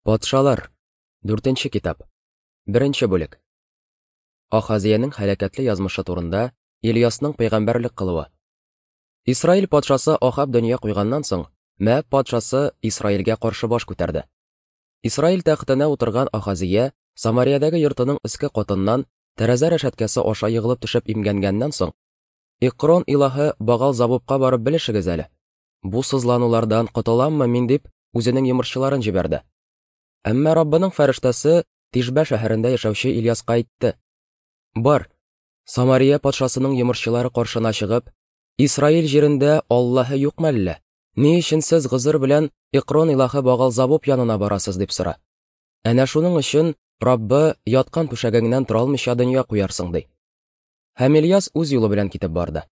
Патшалар. Дүртенче китап. Беренче бүлек. Ахазиянең һәлакәтле язмышы турында Ильясның пәйгамбәрлек кылуы. Исраил патшасы Ахаб дөнья куйганнан соң, Мәаб патшасы Исраилгә каршы баш күтәрде. Исраил тәхетенә утырган Ахазия Самариядәге йортының өске катыннан тәрәзә рәшәткәсе аша егылып төшеп имгәнгәннән соң, Икрон илаһы Багал Забубка барып белешегез әле. Бу сызланулардан котыламмы мин дип, үзенең йомышчыларын җибәрде. Әмма Раббының фәрештәсе Тишбә шәһәрендә яшәүче Ильяска әйтте: Бар, Самария патшасының йомышчылары каршына чыгып, Исраил җирендә Аллаһы юкмы әллә? Ни өчен сез гозер белән Икрон илаһы Багалзабуб янына барасыз дип сора. Әнә шуның өчен Раббы яткан түшәгеңнән тора алмыйча дөнья куярсың, ди. Һәм Ильяс үз юлы белән китеп барды.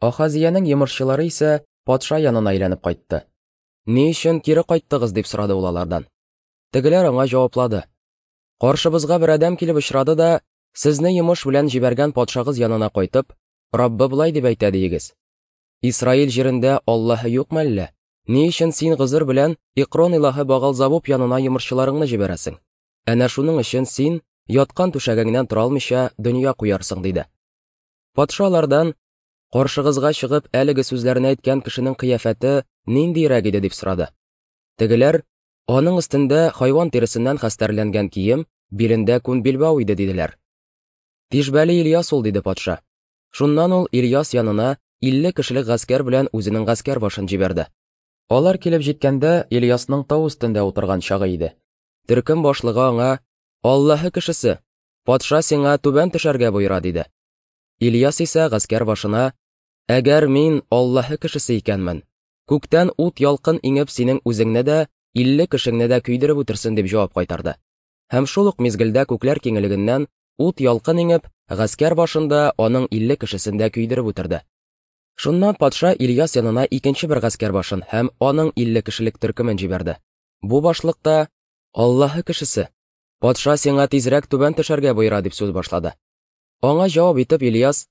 Ахазиянең йомышчылары исә патша янына әйләнеп кайтты. Ни өчен кире кайттыгыз, дип сорады ул алардан. Тегеләр аңа җаваплады. Каршыбызга бер адәм килеп очрады да, сезне йомыш белән җибәргән патшагыз янына кайтып, Раббы болай дип әйтә диегез. Исраил җирендә Аллаһы юкмы әллә? Ни өчен син гозер белән Икрон илаһы Багалзабуб янына йомышчыларыңны җибәрәсең? Әнә шуның өчен син яткан түшәгеңнән тора алмыйча дөнья куярсың, диде. Патша алардан, Каршыгызга чыгып, әлеге сүзләрне әйткән кешенең кыяфәте ниндиерәк иде, дип сорады. Тегеләр, аның өстендә хайван тиресеннән хәстәрләнгән кием, билендә күн билбау иде, диделәр. Тишбәле Ильяс ул, диде патша. Шуннан ул Ильяс янына 50 кешелек гаскәр белән үзенең гаскәр башын җибәрде. Алар килеп җиткәндә, Ильясның тау өстендә утырган чагы иде. Төркем башлыгы аңа, Аллаһы кешесе, патша сиңа түбән төшәргә боера, диде. Ильяс исә гаскәр башына, Әгәр мин Аллаһы кешесе икәнмен, күктән ут ялкын иңеп синең үзеңне дә, 50 кешеңне дә көйдереп үтерсен, дип җавап кайтарды. Һәм шул ук мизгелдә күкләр киңлегеннән ут ялкын иңеп, гаскәр башында аның 50 кешесен дә көйдереп үтерде. Шуннан патша Ильяс янына икенче бер гаскәр башын һәм аның 50 кешелек төркемен җибәрде. Бу башлык та, Аллаһы кешесе, патша сиңа тизрәк түбән төшәргә боера, дип сүз башлады. Аңа җавап итеп Ильяс,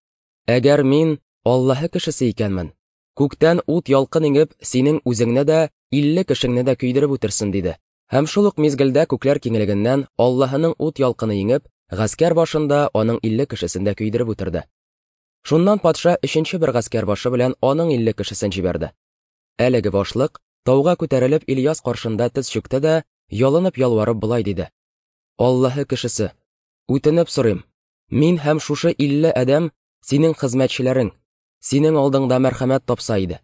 Әгәр мин Аллаһы кешесе икәнмен, күктән ут ялкын иңеп, синең үзеңне дә, 50 кешеңне дә көйдереп үтерсен, диде. Һәм шул ук мизгелдә күкләр киңлегеннән Аллаһының ут ялкыны иңеп, гаскәр башында аның 50 кешесен дә көйдереп үтерде. Шуннан патша өченче бер гаскәр башы белән аның 50 кешесен җибәрде. Әлеге башлык тауга күтәрелеп Ильяс каршында тез чүкте дә, ялынып-ялварып болай диде: Аллаһы кешесе, үтенеп сорыйм, мин һәм шушы 50 адәм синең хезмәтчеләрең, синең алдыңда мәрхәмәт тапса иде.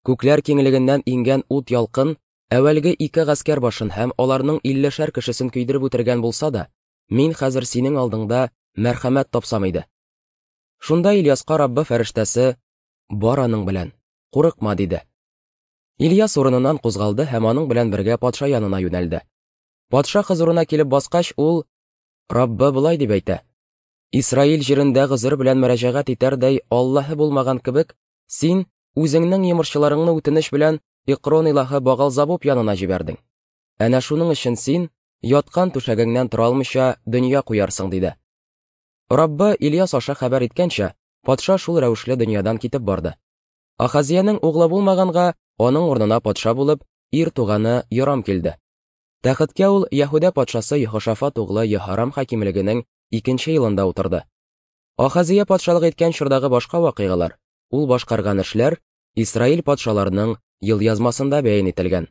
Күкләр киңлегеннән иңгән ут ялкын әүвәлге ике гаскәр башын һәм аларның 50шәр кешесен көйдереп үтергән булса да, мин хәзер синең алдыңда мәрхәмәт тапсам иде. Шунда Ильяска Раббы фәрештәсе, бар аның белән, курыкма, диде. Ильяс урыныннан кузгалды һәм аның белән бергә патша янына юнәлде. Патша хозурына килеп баскач, ул, Раббы болай дип әйтә: Исраил җирендә гозер белән мөрәҗәгать итәрдәй Аллаһы булмаган кебек, син үзеңнең йомышчыларыңны үтенеч белән Икрон илаһы Багалзабуб янына җибәрдең. Әнә шуның өчен син яткан түшәгеңнән тора алмыйча дөнья куярсың, диде. Раббы Ильяс аша хәбәр иткәнчә, патша шул рәвешле дөньядан китеп барды. Ахазиянең углы булмаганга, аның урынына патша булып, ир туганы Йорам килде. Тәхеткә ул Яһүдә патшасы Йехошафат углы Йеһорам хакимлегенең икенче елында утырды. Ахазия патшалык иткән чордагы башка вакыйгалар, ул башкарган эшләр Исраил патшаларының елъязмасында бәян ителгән.